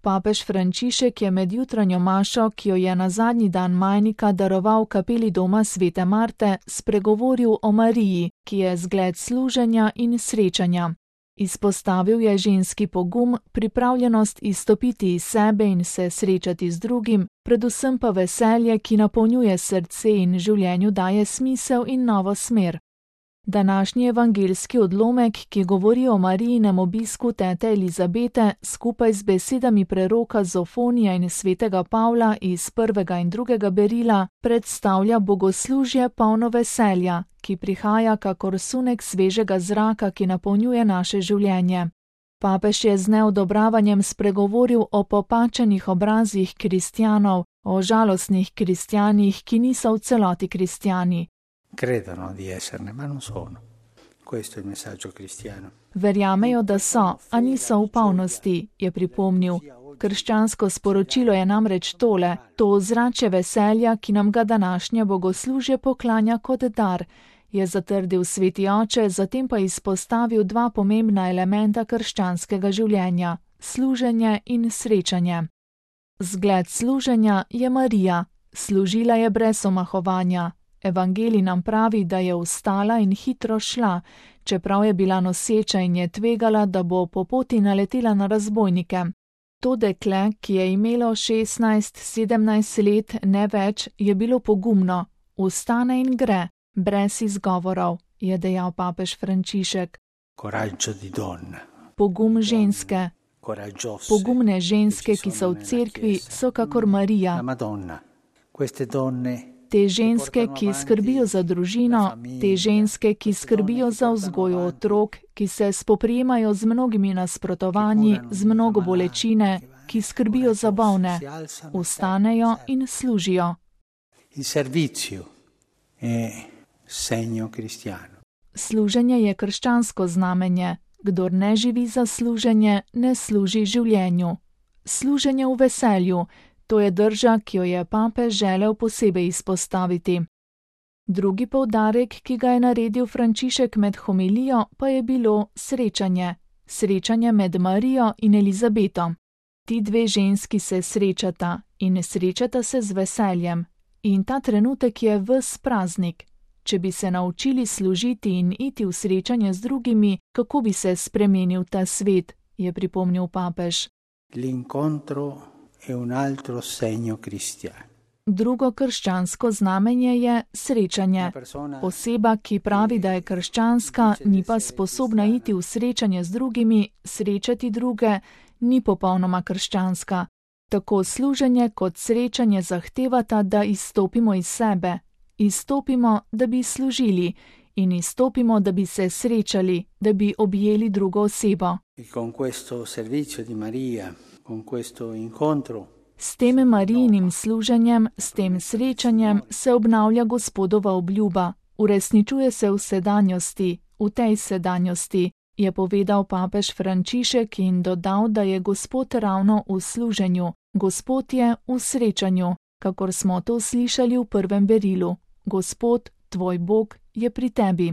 Papež Frančišek je med jutranjo mašo, ki jo je na zadnji dan majnika daroval kapeli doma Svete Marte, spregovoril o Mariji, ki je zgled služenja in srečanja. Izpostavil je ženski pogum, pripravljenost izstopiti iz sebe in se srečati z drugim, predvsem pa veselje, ki napolnjuje srce in življenju daje smisel in novo smer. Današnji evangeljski odlomek, ki govori o Marijinem obisku tete Elizabete, skupaj z besedami preroka Zofonija in svetega Pavla iz 1. in 2. berila, predstavlja bogoslužje polno veselja, ki prihaja kakor sunek svežega zraka, ki napolnjuje naše življenje. Papež je z neodobravanjem spregovoril o popačenih obrazih kristjanov, o žalostnih kristjanih, ki niso v celoti kristjani. Credono di esserne, ma non sono. Questo è il messaggio cristiano. Verjamejo, da so, a niso v polnosti, je pripomnil. Krščansko sporočilo je namreč tole, to ozračje veselja, ki nam ga današnje bogoslužje poklanja kot dar, je zatrdil sveti oče, zatem pa izpostavil dva pomembna elementa krščanskega življenja, služenje in srečanje. Zgled služenja je Marija, služila je brez omahovanja. Evangelij nam pravi, da je vstala in hitro šla, čeprav je bila noseča in je tvegala, da bo po poti naletela na razbojnike. To dekle, ki je imelo 16-17 let, ne več, je bilo pogumno, vstane in gre, brez izgovorov, je dejal papež Frančišek. Coraggio di donna. Pogum ženske. Pogumne ženske, ki so v cerkvi, so kakor Marija. Te ženske, ki skrbijo za družino, te ženske, ki skrbijo za vzgojo otrok, ki se spoprijemajo z mnogimi nasprotovanji, z mnogo bolečine, ki skrbijo za bolne, vstanejo in služijo. Služenje je krščansko znamenje. Kdor ne živi za služenje, ne služi življenju. Služenje v veselju. To je drža, ki jo je papež želel posebej izpostaviti. Drugi poudarek, ki ga je naredil Frančišek med homilijo, pa je bilo srečanje. Srečanje med Marijo in Elizabeto. Ti dve ženski se srečata in srečata se z veseljem. In ta trenutek je ves praznik. Če bi se naučili služiti in iti v srečanje z drugimi, kako bi se spremenil ta svet, je pripomnil papež. Drugo krščansko znamenje je srečanje. Oseba, ki pravi, da je krščanska, ni pa sposobna iti v srečanje z drugimi, srečati druge, ni popolnoma krščanska. Tako služenje kot srečanje zahtevata, da izstopimo iz sebe. Izstopimo, da bi služili, in izstopimo, da bi se srečali, da bi objeli drugo osebo. S tem Marijinim služenjem, s tem srečanjem se obnavlja Gospodova obljuba, uresničuje se v sedanjosti, v tej sedanjosti, je povedal papež Frančišek in dodal, da je Gospod ravno v služenju, Gospod je v srečanju, kakor smo to slišali v prvem berilu. Gospod, tvoj Bog, je pri tebi.